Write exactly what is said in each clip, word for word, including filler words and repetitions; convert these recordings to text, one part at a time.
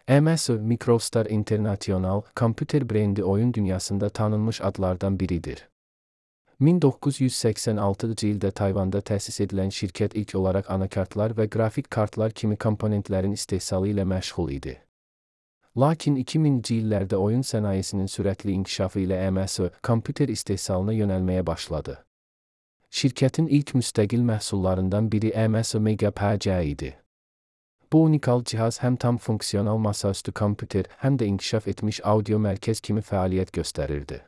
M S I Microstar International, kompüter brendi oyun dünyasında tanınmış adlardan biridir. min doqquz yüz səksən altıncı ildə Tayvanda təsis edilən şirkət ilk olaraq anakartlar və qrafik kartlar kimi komponentlərin istehsalı ilə məşğul idi. Lakin iki minci illərdə oyun sənayesinin sürətli inkişafı ilə M S I kompüter istehsalına yönəlməyə başladı. Şirkətin ilk müstəqil məhsullarından biri M S I Mega P C idi. Bu unikal cihaz həm tam funksional masaüstü kompüter, həm də inkişaf etmiş audio mərkəz kimi fəaliyyət göstərirdi.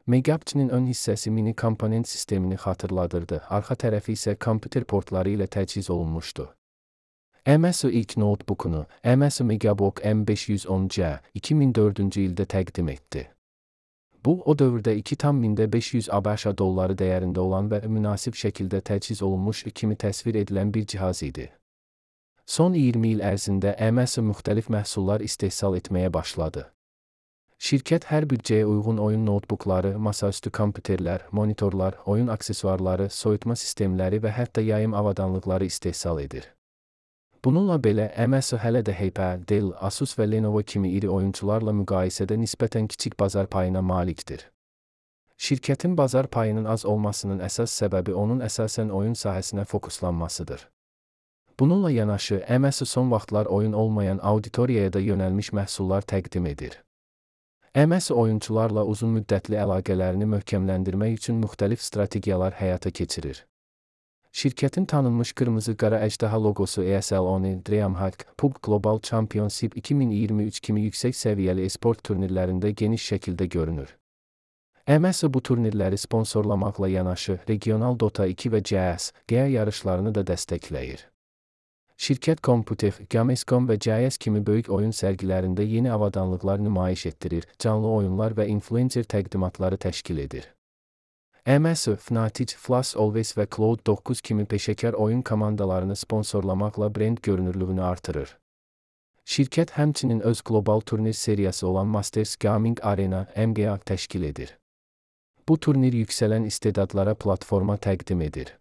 Mega P C-nin ön hissəsi mini komponent sistemini xatırladırdı, arxa tərəfi isə kompüter portları ilə təchiz olunmuşdu. M S I ilk notebookunu M S I Megabook M beş yüz on C iki min dördüncü ildə təqdim etdi. Bu, o dövrdə iki min beş yüz ABŞ dolları dəyərində olan və münasib şəkildə təchiz olunmuş kimi təsvir edilən bir cihaz idi. Son iyirmi il ərzində M S I müxtəlif məhsullar istehsal etməyə başladı. Şirkət hər büdcəyə uyğun oyun notebookları, masaüstü kompüterlər, monitorlar, oyun aksesuarları, soyutma sistemləri və hətta yayım avadanlıqları istehsal edir. Bununla belə, M S I hələ də H P, Dell, Asus və Lenovo kimi iri oyunçularla müqayisədə nisbətən kiçik bazar payına malikdir. Şirkətin bazar payının az olmasının əsas səbəbi onun əsasən oyun sahəsinə fokuslanmasıdır. Bununla yanaşı, M S I son vaxtlar oyun olmayan auditoriyaya da yönəlmiş məhsullar təqdim edir. M S I oyunçularla uzun müddətli əlaqələrini möhkəmləndirmək üçün müxtəlif strategiyalar həyata keçirir. Şirkətin tanınmış qırmızı-qara əjdaha loqosu E S L on DreamHack P U B G Global Championship iki min iyirmi üç kimi yüksək səviyyəli esport turnirlərində geniş şəkildə görünür. M S I bu turnirləri sponsorlamaqla yanaşı, regional Dota iki və C S G O yarışlarını da dəstəkləyir. Şirkət Computech, Gamescom və C S kimi böyük oyun sərgilərində yeni avadanlıqlar nümayiş etdirir, canlı oyunlar və influencer təqdimatları təşkil edir. M S I, Fnatic, Flash Always və Cloud doqquz kimi peşəkar oyun komandalarını sponsorlamaqla brend görünürlüyünü artırır. Şirkət həmçinin öz qlobal turnir seriyası olan Masters Gaming Arena M G A təşkil edir. Bu turnir yüksələn istedadlara platforma təqdim edir.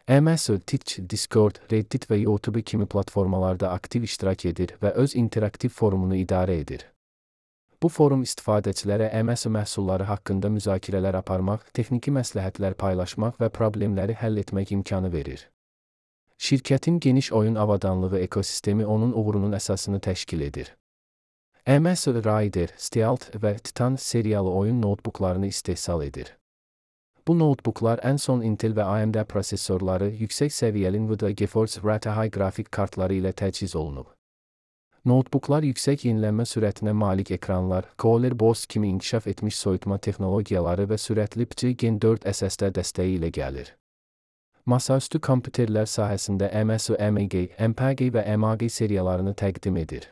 M S I, Twitch, Discord, Reddit və YouTube kimi platformalarda aktiv iştirak edir və öz interaktiv forumunu idarə edir. Bu forum istifadəçilərə M S I məhsulları haqqında müzakirələr aparmaq, texniki məsləhətlər paylaşmaq və problemləri həll etmək imkanı verir. Şirkətin geniş oyun avadanlığı ekosistemi onun uğurunun əsasını təşkil edir. M S I, Raider, Stealth və Titan seriyalı oyun notebooklarını istehsal edir. Bu notebooklar ən son Intel və A M D prosesorları, yüksək səviyyəli Nvidia GeForce R T X qrafik kartları ilə təchiz olunub. Notebooklar yüksək yenilənmə sürətinə malik ekranlar, Cooler Boss kimi inkişaf etmiş soyutma texnologiyaları və sürətli P C Gen dörd S S D dəstəyi ilə gəlir. Masaüstü kompüterlər sahəsində M S I M G, M P G və M A G seriyalarını təqdim edir.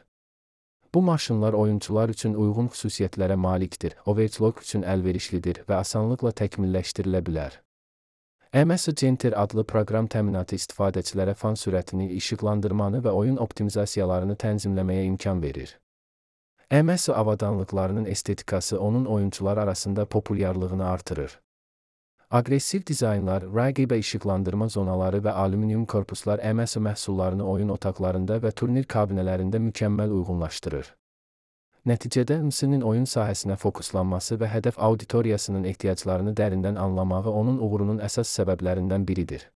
Bu maşınlar oyunçular üçün uyğun xüsusiyyətlərə malikdir, overclock üçün əlverişlidir və asanlıqla təkmilləşdirilə bilər. M S I Center adlı proqram təminatı istifadəçilərə fan sürətini, işıqlandırmanı və oyun optimizasiyalarını tənzimləməyə imkan verir. M S I avadanlıqlarının estetikası onun oyunçular arasında populyarlığını artırır. Aqressiv dizaynlar, R G B işıqlandırma zonaları və alüminium korpuslar M S I məhsullarını oyun otaqlarında və turnir kabinələrində mükəmməl uyğunlaşdırır. Nəticədə M S I-nin oyun sahəsinə fokuslanması və hədəf auditoriyasının ehtiyaclarını dərindən anlamağı onun uğurunun əsas səbəblərindən biridir.